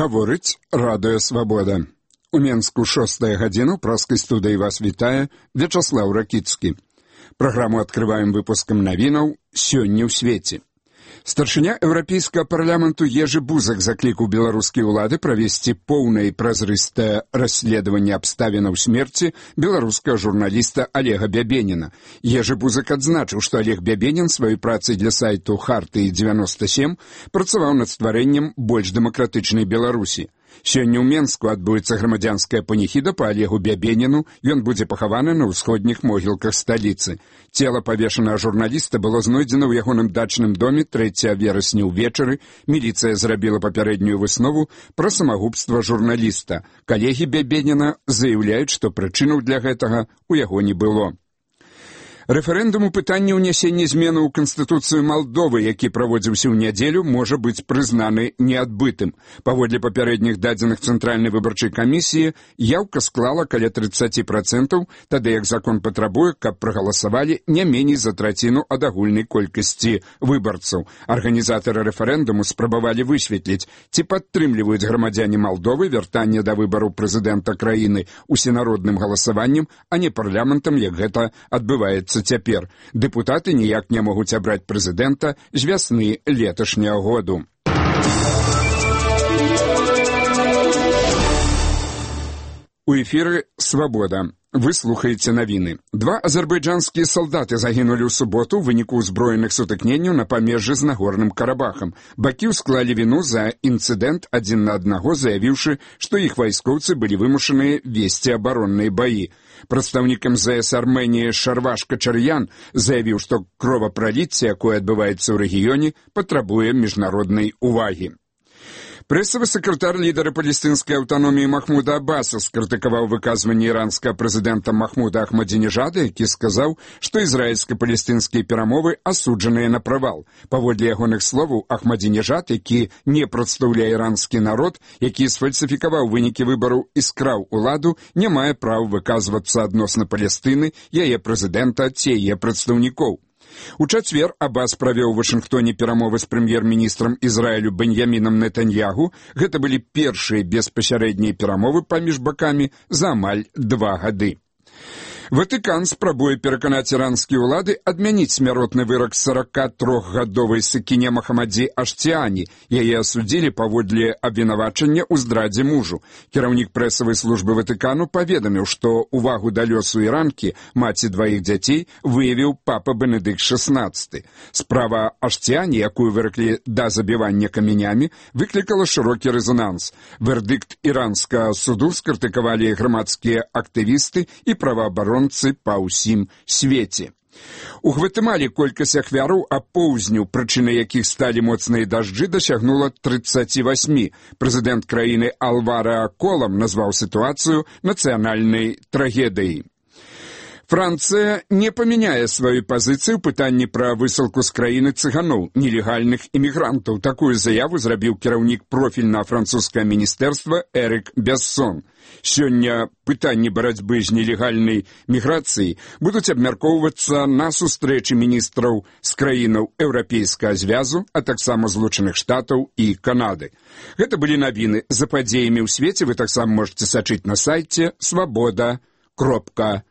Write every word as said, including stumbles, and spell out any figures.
Гаворыць Радыё Свабода. У Менску шостая гадзіна, ў праскай студыі вас вітае Вячаслаў Ракіцкі. Праграму адкрываем выпускам навінаў «Сёння ў свеце». Старшыня Еўрапейскага парламенту Ежы Бузак заклікаў беларускія ўлады правесці поўнае і празрыстае расследаванне абставінаў смерці беларускага журналіста Олега Бябеніна. Ежы Бузак адзначыў, што Олег Бябенін сваёй працай для сайту Хартыі дзевяноста сем працаваў над стварэннем больш дэмакратычнай Беларусі. Сёння ў Менску адбудзецца грамадзянская паніхіда па Олегу Бябеніну, ён будзе пахаваны на ўсходніх могілках сталіцы. Цела павешанага журналіста было знойдзена ў ягоным дачным доме трэцяга верасня ўвечары. Міліцыя зрабіла папярэднюю выснову пра самагубства журналіста. Калегі Бябеніна заяўляюць, што прычынаў для гэтага у яго не было. Рэферэндум у пытанні ўнясення зменаў у Канстытуцыю Малдовы, які праводзіўся ў нядзелю, можа быць прызнаны неадбытым. Паводле папярэдніх дадзеных Цэнтральнай выбарчай камісіі, яўка склала каля трыццаць працэнтаў, тады як закон патрабуе, каб прагаласавалі не меней за траціну ад агульнай колькасці выбарцаў. Арганізатары рэферэндуму спрабавалі высветліць, ці падтрымліваюць грамадзяне Малдовы вяртанне да выбару прэзідэнта краіны усенародным галасаваннем, а не парламентам, як гэта адбываецца цяпер. Дэпутаты ніяк не могуць абраць прэзідэнта з вясны леташняга году. У эфіры «Свабода». Вы слухаеце навіны. Два азербайджанскія салдаты загінулі ў суботу ў выніку ўзброеных сутыкненняў на памежжы з Нагорным Карабахам. Бакі ўсклалі віну за інцыдэнт адзін на аднаго, заявіўшы, што іх вайскоўцы былі вымушаныя весці абаронныя баі. Прадстаўнік эм зэ эс Арменіі Шарваш Качар'ян заявіў, што кровапраліцце, якое адбываецца ў рэгіёне, патрабуе міжнароднай увагі. Прэсавы сакратар лідара палестынскай аўтаноміі Махмуда Аббаса скрытыкаваў выказванне іранскага прэзідэнта Махмуда Ахмадзінежада, які сказаў, што ізраільска-палестынскія перамовы асуджаныя на правал. Паводле ягоных словаў, Ахмадзінежад, які не прадстаўляе іранскі народ, які сфальсіфікаваў вынікі выбараў і скраў уладу, не мае права выказвацца адносна Палестыны, яе прэзідэнта ці яе прадстаўнікоў. У чацвер Аббас правёў у Вашынгтоне перамовы з прэм'ер-міністрам Ізраілю Беньямінам Нетаньягу. Гэта былі першыя беспасярэднія перамовы паміж бакамі за амаль два гады. Ватыкан спрабуе пераканаць іранскія ўлады адмяніць смяротны вырак сорокатрохгадовай Сакіне Махамадзе Аштіяні. Яе асудзілі паводле абвінавачання ў здрадзе мужу. Кіраўнік прэсавай службы Ватыкану паведаміў, што ўвагу да лёсу іранкі, маці дваіх дзяцей, выявіў папа Бенедыкт шаснаццаты. Справа Аштіяні, якую выраклі да забівання камянямі, выклікала шырокі рэзананс. Вердыкт іранскага суду скрытыкавалі грамадскія актывісты і праваабаронцы па ўсім свеце. У Гватэмалы колькасць ахвяраў апоўзню, прычынай якіх сталі моцныя дажджы, дасягнула трыццаць восемь. Прэзідэнт краіны Алвара Колам назваў сітуацыю нацыянальнай трагедыяй. Францыя не памяняе сваю пазіцыю ў пытанні пра высылку з краіны цыганоў, нелегальных імігрантаў. Такую заяву зрабіў кіраўнік профільнага французскага міністэрства Эрык Бессон. Сёння пытанні барацьбы з нелегальнай міграцыяй будуць абмяркоўвацца на сустрэчы міністраў з краінаў Еўрапейскага звязу, а таксама Злучаных Штатаў і Канады. Гэта былі навіны. За падзеямі ў свеце вы таксама можаце сачыць на сайце свабода кропка